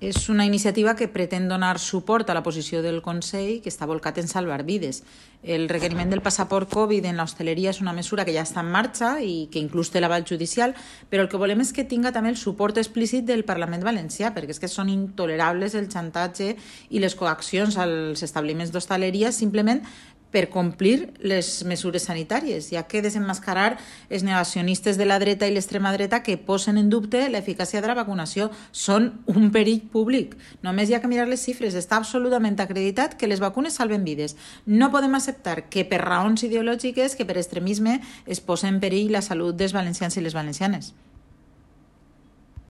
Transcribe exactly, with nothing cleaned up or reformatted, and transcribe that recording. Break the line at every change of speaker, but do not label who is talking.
És una iniciativa que pretén donar suport a la posició del Consell, que està volcat en salvar vides. El requeriment del passaport Covid en l'hostaleria és una mesura que ja està en marxa i que inclús té l'aval judicial, però el que volem és que tinga també el suport explícit del Parlament valencià, perquè és que són intolerables el xantatge i les coaccions als establiments d'hostaleria simplement per complir les mesures sanitàries, ja que desenmascarar els negacionistes de la dreta i l'extrema dreta que posen en dubte l'eficàcia de la vacunació són un perill públic. Només hi ha que mirar les xifres. Està absolutament acreditat que les vacunes salven vides. No podem acceptar que per raons ideològiques, que per extremisme, es posa en perill la salut dels valencians i les valencianes.